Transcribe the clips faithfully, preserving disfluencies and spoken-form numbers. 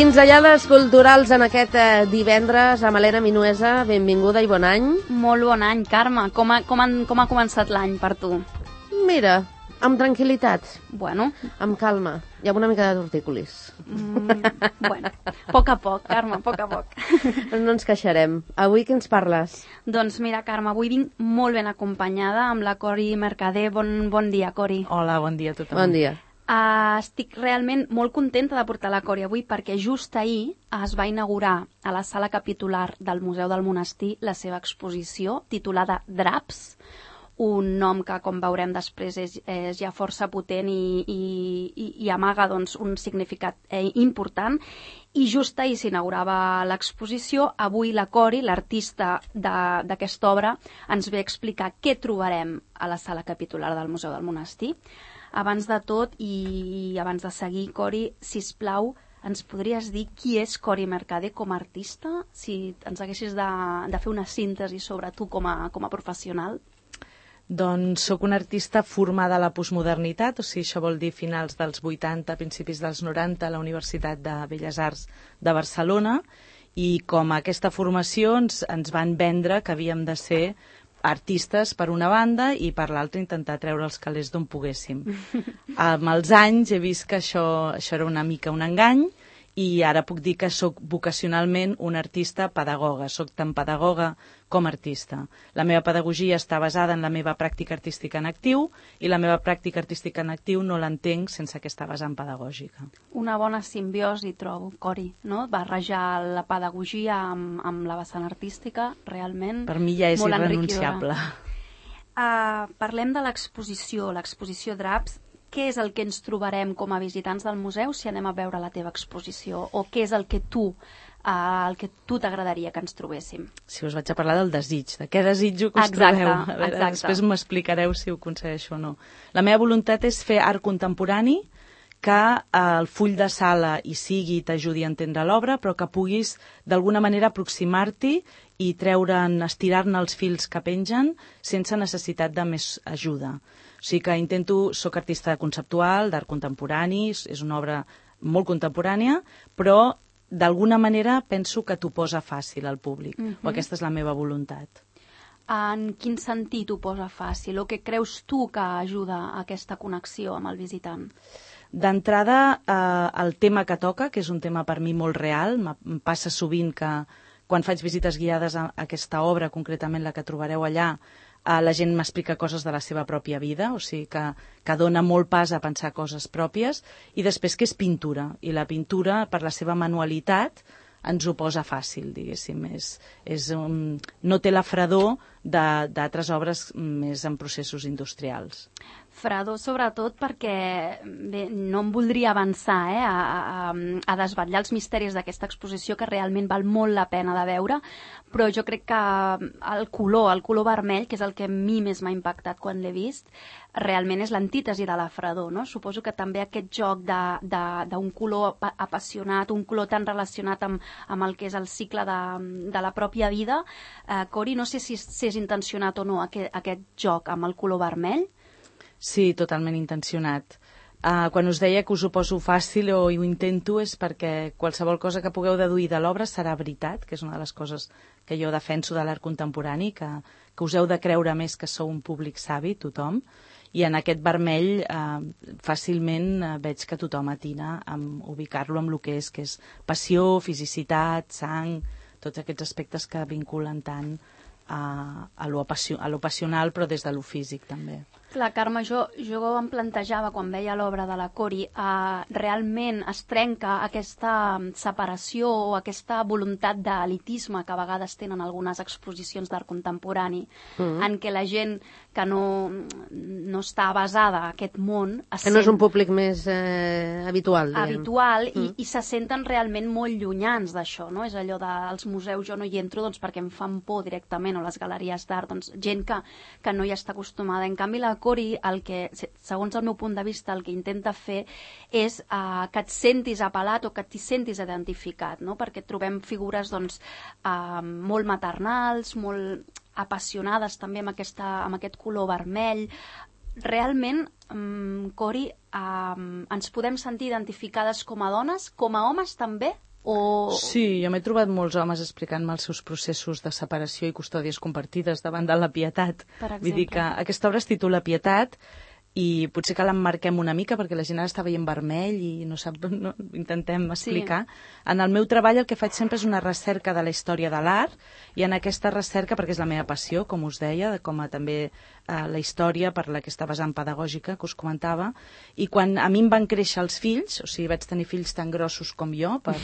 Pinzellades culturals en aquest eh, divendres amb Helena Minuesa. Benvinguda i bon any. Molt bon any, Carme. Com ha, com ha, com ha començat l'any per tu? Mira, amb tranquil·litat. Bueno. Amb calma i amb una mica de tortícolis. Mm, bueno, a poc a poc, Carme, a poc a poc. No ens queixarem. Avui què ens parles? Doncs mira, Carme, avui vinc molt ben acompanyada amb la Cori Mercader. Bon, bon dia, Cori. Hola, bon dia a tothom. Bon dia. Uh, estic realment molt contenta de portar la Cori avui perquè just ahir es va inaugurar a la sala capitular del Museu del Monestir la seva exposició titulada Draps, un nom que, com veurem després, és, és ja força potent i, i, i amaga doncs, un significat eh, important. I just ahir s'inaugurava l'exposició. Avui la Cori, l'artista d'aquesta obra, ens ve a explicar què trobarem a la sala capitular del Museu del Monestir. Abans de tot i abans de seguir, Cori, sisplau, ens podries dir qui és Cori Mercader com a artista? Si ens haguessis de, de fer una síntesi sobre tu com a, com a professional. Doncs sóc una artista formada a la postmodernitat, o sigui, això vol dir finals dels vuitanta, principis dels noranta, a la Universitat de Belles Arts de Barcelona, i com a aquesta formació ens, ens van vendre que havíem de ser artistes per una banda i per l'altra intentar treure els calés d'on poguéssim. Amb els anys he vist que això, això era una mica un engany i ara puc dir que sóc vocacionalment una artista pedagoga, sóc tant pedagoga com artista. La meva pedagogia està basada en la meva pràctica artística en actiu i la meva pràctica artística en actiu no l'entenc sense aquesta vessant pedagògica. Una bona simbiosi, trobo, Cori, no? Barrejar la pedagogia amb, amb la vessant artística, realment. Per mi ja és irrenunciable. Uh, parlem de l'exposició, l'exposició Draps. Què és el que ens trobarem com a visitants del museu si anem a veure la teva exposició? O què és el que tu uh, el que tu t'agradaria que ens trobéssim? Si us vaig a parlar del desig, de què desitjo que us exacte, trobeu. A veure, exacte. Després m'explicareu si ho aconsegueixo o no. La meva voluntat és fer art contemporani, que el full de sala hi sigui i t'ajudi a entendre l'obra, però que puguis d'alguna manera aproximar-t'hi i treure'n, estirar-ne els fils que pengen sense necessitat de més ajuda. O sigui que intento, soc artista conceptual, d'art contemporani, és una obra molt contemporània, però d'alguna manera penso que t'ho posa fàcil al públic, uh-huh. o aquesta és la meva voluntat. En quin sentit ho posa fàcil? O què creus tu que ajuda a aquesta connexió amb el visitant? D'entrada, eh, el tema que toca, que és un tema per mi molt real, em passa sovint que quan faig visites guiades a aquesta obra, concretament la que trobareu allà, Uh, la gent m'explica coses de la seva pròpia vida, o sigui que, que dona molt pas a pensar coses pròpies, i després que és pintura, i la pintura, per la seva manualitat, ens ho posa fàcil, diguéssim. És, és un, no té la fredor d'altres obres més en processos industrials. Fredor, sobretot, perquè bé, no em voldria avançar eh, a, a, a desvetllar els misteris d'aquesta exposició, que realment val molt la pena de veure, però jo crec que el color, el color vermell, que és el que a mi més m'ha impactat quan l'he vist, realment és l'antítesi de la fredor, no? Suposo que també aquest joc d'un color apassionat, un color tan relacionat amb, amb el que és el cicle de, de la pròpia vida. Eh, Cori, no sé si, si és intencionat o no aquest, aquest joc amb el color vermell. Sí, totalment intencionat. Uh, quan us deia que us ho poso fàcil o ho intento és perquè qualsevol cosa que pugueu deduir de l'obra serà veritat, que és una de les coses que jo defenso de l'art contemporani, que, que us heu de creure més que sou un públic savi, tothom, i en aquest vermell uh, fàcilment uh, veig que tothom atina a ubicar-lo amb el que és, que és passió, fisicitat, sang, tots aquests aspectes que vinculen tant a, a, lo, a lo passional, però des de lo físic també. Clar, Carme, jo, jo em plantejava quan veia l'obra de la Cori, eh, realment es trenca aquesta separació o aquesta voluntat d'elitisme que a vegades tenen algunes exposicions d'art contemporani, mm-hmm. en què la gent que no, no està basada a aquest món... Que sent, no és un públic més eh, habitual, diguem. Habitual, mm. i, i se senten realment molt llunyans d'això, no? És allò dels museus, jo no hi entro doncs, perquè em fan por directament, o les galeries d'art, doncs gent que, que no hi està acostumada. En canvi, la Cori, el que, segons el meu punt de vista, el que intenta fer és uh, que et sentis apel·lat o que t'hi sentis identificat, no? Perquè trobem figures doncs, uh, molt maternals, molt apassionades també amb, aquesta, amb aquest color vermell. Realment, um, Cori, um, ens podem sentir identificades com a dones, com a homes també, O... Sí, jo m'he trobat molts homes explicant-me els seus processos de separació i custòdies compartides davant de la Pietat. Per exemple. Vull dir que aquesta obra es titula Pietat i potser que l'emmarquem una mica perquè la gent ara està veient vermell i no sap, no, intentem explicar. Sí. En el meu treball el que faig sempre és una recerca de la història de l'art i en aquesta recerca, perquè és la meva passió, com us deia, com a també eh, la història per la que està vessant pedagògica, que us comentava, i quan a mi em van créixer els fills, o sigui, vaig tenir fills tan grossos com jo, per,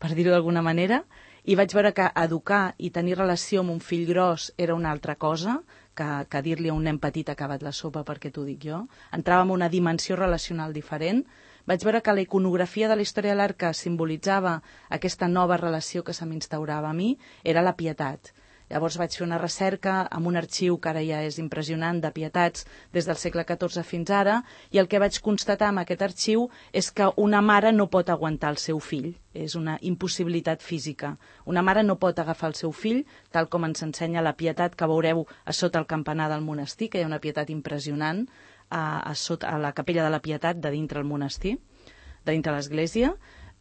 per dir-ho d'alguna manera, i vaig veure que educar i tenir relació amb un fill gros era una altra cosa, que, que dir-li a un nen petit acabat la sopa perquè t'ho dic jo. Entrava en una dimensió relacional diferent. Vaig veure que la iconografia de la història de l'art que simbolitzava aquesta nova relació que se m'instaurava a mi era la pietat. Llavors vaig fer una recerca amb un arxiu que ara ja és impressionant de pietats des del segle catorze fins ara i el que vaig constatar amb aquest arxiu és que una mare no pot aguantar el seu fill. És una impossibilitat física. Una mare no pot agafar el seu fill, tal com ens ensenya la pietat que veureu a sota el campanar del monestir, que hi ha una pietat impressionant a, a, sota, a la capella de la Pietat de dintre el monestir, de dintre l'església.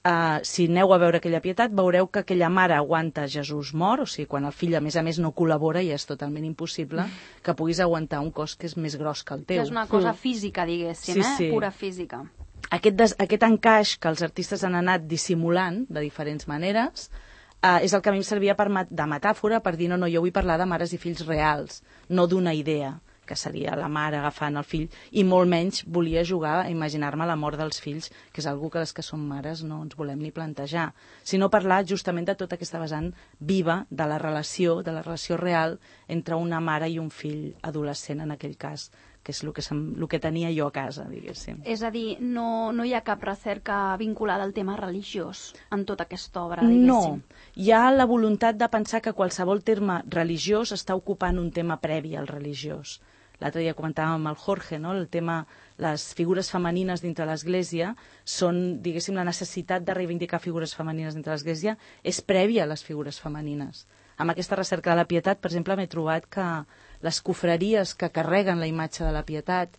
Uh, si aneu a veure aquella pietat, veureu que aquella mare aguanta Jesús mort, o sigui, quan el fill a més a més no col·labora ja és totalment impossible que puguis aguantar un cos que és més gros que el teu. Que és una cosa física, diguéssim, sí, eh? Sí. Pura física. Aquest, des, aquest encaix que els artistes han anat dissimulant de diferents maneres uh, és el que a mi em servia per, de metàfora per dir no, no, jo vull parlar de mares i fills reals, no d'una idea que seria la mare agafant el fill, i molt menys volia jugar a imaginar-me la mort dels fills, que és algo que les que som mares no ens volem ni plantejar, sinó parlar justament de tota aquesta vessant viva de la relació, de la relació real entre una mare i un fill adolescent en aquell cas, que és el que, sem, el que tenia jo a casa, diguéssim. És a dir, no, no hi ha cap recerca vinculada al tema religiós en tota aquesta obra, diguéssim? No, hi ha la voluntat de pensar que qualsevol terme religiós està ocupant un tema previ al religiós. L'altre dia comentàvem amb el Jorge, no? El tema, les figures femenines dintre l'Església són, diguéssim, la necessitat de reivindicar figures femenines dintre l'Església és prèvia a les figures femenines. Amb aquesta recerca de la Pietat, per exemple, m'he trobat que les cofreries que carreguen la imatge de la Pietat,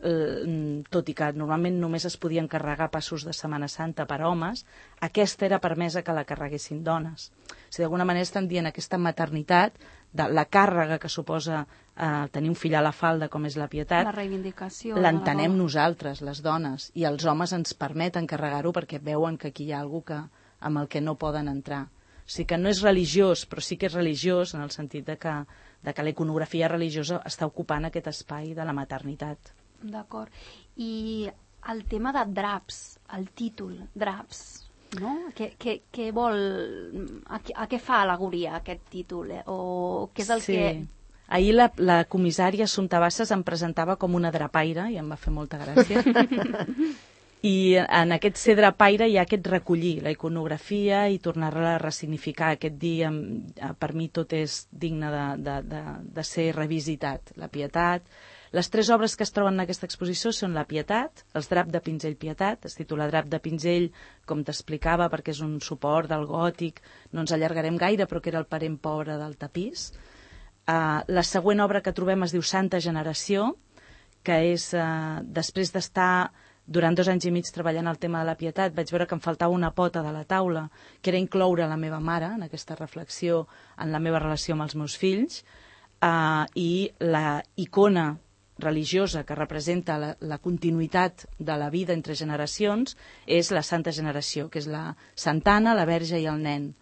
eh, tot i que normalment només es podien carregar passos de Setmana Santa per homes, aquesta era permesa que la carreguessin dones. O sigui, d'alguna manera estan dient aquesta maternitat, de la càrrega que suposa eh, tenir un fill a la falda com és la Pietat, la reivindicació, l'entenem nosaltres, les dones, i els homes ens permeten carregar-ho perquè veuen que aquí hi ha alguna que, amb el que no poden entrar. O sigui que no és religiós, però sí que és religiós en el sentit de que, de que la iconografia religiosa està ocupant aquest espai de la maternitat. D'acord. I el tema de draps, el títol, draps, no? Què, què, què vol... A, a què fa al·legoria aquest títol? Eh? O què és el sí. que... Ahir la, la comissària Assumpta Bassas em presentava com una drapaire i em va fer molta gràcia. I en aquest ser drapaire hi ha aquest recollir la iconografia i tornar-la a ressignificar. Aquest dia, per mi, tot és digne de, de, de, de ser revisitat. La Pietat. Les tres obres que es troben en aquesta exposició són la Pietat, els drap de pinzell Pietat, es titula Drap de pinzell, com t'explicava, perquè és un suport del gòtic, no ens allargarem gaire, però que era el parent pobre del tapís. Uh, la següent obra que trobem es diu Santa Generació, que és, uh, després d'estar durant dos anys i mig treballant el tema de la Pietat, vaig veure que em faltava una pota de la taula, que era incloure la meva mare en aquesta reflexió, en la meva relació amb els meus fills, uh, i la icona religiosa que representa la, la continuïtat de la vida entre generacions és la Santa Generació, que és la Santana, la Verge i el nen.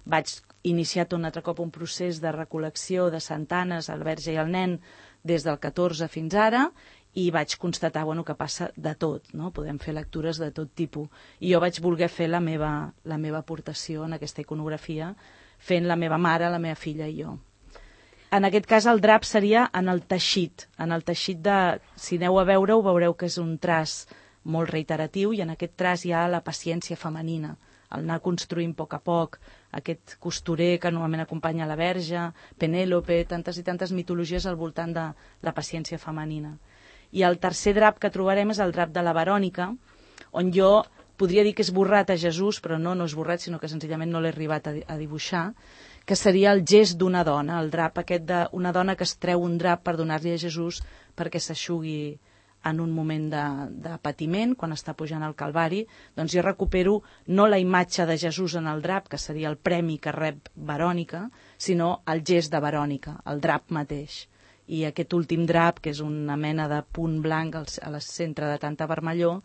Vaig iniciar un altre cop un procés de recol·lecció de santanes, el Verge i el nen, des del catorze fins ara, i vaig constatar bueno, que passa de tot, no? Podem fer lectures de tot tipus. I jo vaig voler fer la meva, la meva aportació en aquesta iconografia, fent la meva mare, la meva filla i jo. En aquest cas el drap seria en el teixit, en el teixit de, si aneu a veure-ho, veureu que és un traç molt reiteratiu i en aquest traç hi ha la paciència femenina, el anar construint a poc a poc, aquest costurer que normalment acompanya la Verge, Penèlope, tantes i tantes mitologies al voltant de la paciència femenina. I el tercer drap que trobarem és el drap de la Verònica, on jo podria dir que és esborrat a Jesús, però no, no és esborrat, sinó que senzillament no l'he arribat a, a dibuixar, que seria el gest d'una dona, el drap aquest d'una dona que es treu un drap per donar-li a Jesús perquè s'aixugui en un moment de, de patiment, quan està pujant al Calvari, doncs jo recupero no la imatge de Jesús en el drap, que seria el premi que rep Verònica, sinó el gest de Verònica, el drap mateix. I aquest últim drap, que és una mena de punt blanc al, al centre de tanta vermellor,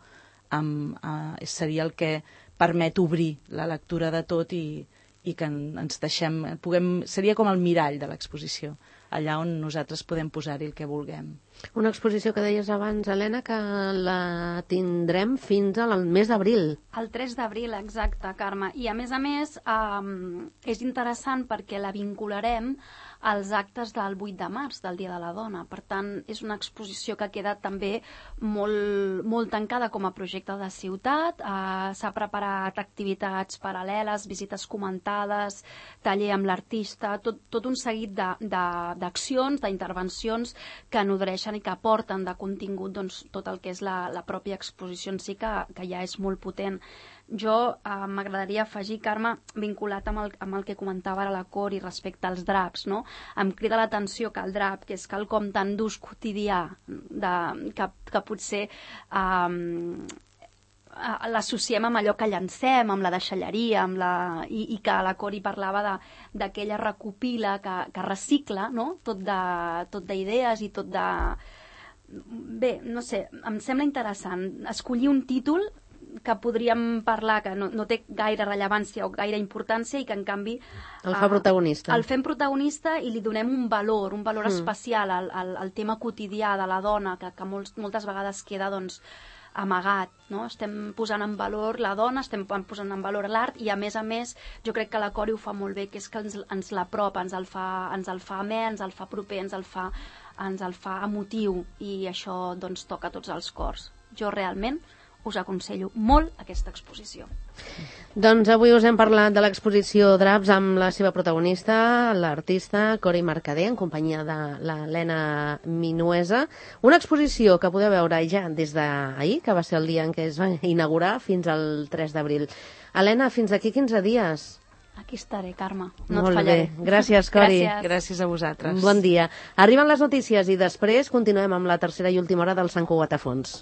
amb, eh, seria el que permet obrir la lectura de tot i, i que ens deixem, puguem, seria com el mirall de l'exposició, allà on nosaltres podem posar-hi el que vulguem. Una exposició que deies abans, Helena, que la tindrem fins al mes d'abril. El tres d'abril, exacte, Carme. I a més a més eh, és interessant perquè la vincularem als actes del vuit de març, del Dia de la Dona. Per tant, és una exposició que queda també molt, molt tancada com a projecte de ciutat. Eh, S'ha preparat activitats paral·leles, visites comentades, taller amb l'artista, tot, tot un seguit d'accions, d'intervencions que nodreixen i que aporten de contingut doncs, tot el que és la, la pròpia exposició en si, que, que ja és molt potent. Jo eh, m'agradaria afegir, Carme, vinculat amb el, amb el que comentava ara la Cori respecte als draps, no? Em crida l'atenció que el drap, que és quelcom tan d'ús quotidià, de, que, que potser eh, l'associem amb allò que llancem, amb la deixalleria, amb la... I, i que la Cori parlava d'aquella recopila que, que recicla, no? Tot de, tot d'idees i tot de... Bé, no sé, em sembla interessant escollir un títol que podríem parlar que no, no té gaire rellevància o gaire importància i que en canvi el fa protagonista. El fem protagonista i li donem un valor, un valor mm. especial al, al, al tema quotidià de la dona que, que molts, moltes vegades queda doncs amagat, no? Estem posant en valor la dona, estem posant en valor l'art i a més a més jo crec que la Cori ho fa molt bé, que és que ens, ens l'apropa, ens el fa, ens el fa amè, ens el fa proper, ens el fa, ens el fa emotiu i això doncs toca tots els cors. Jo realment us aconsello molt aquesta exposició. Doncs avui us hem parlat de l'exposició Draps amb la seva protagonista, l'artista Cori Mercader, en companyia de l'Helena Minuesa. Una exposició que podeu veure ja des d'ahir, que va ser el dia en què es va inaugurar, fins al tres d'abril. Helena, fins d'aquí quinze dies. Aquí estaré, Carme. No Molt et fallaré. bé. Gràcies, Cori. Gràcies. Gràcies a vosaltres. Bon dia. Arriben les notícies i després continuem amb la tercera i última hora del Sant Cugat a fons.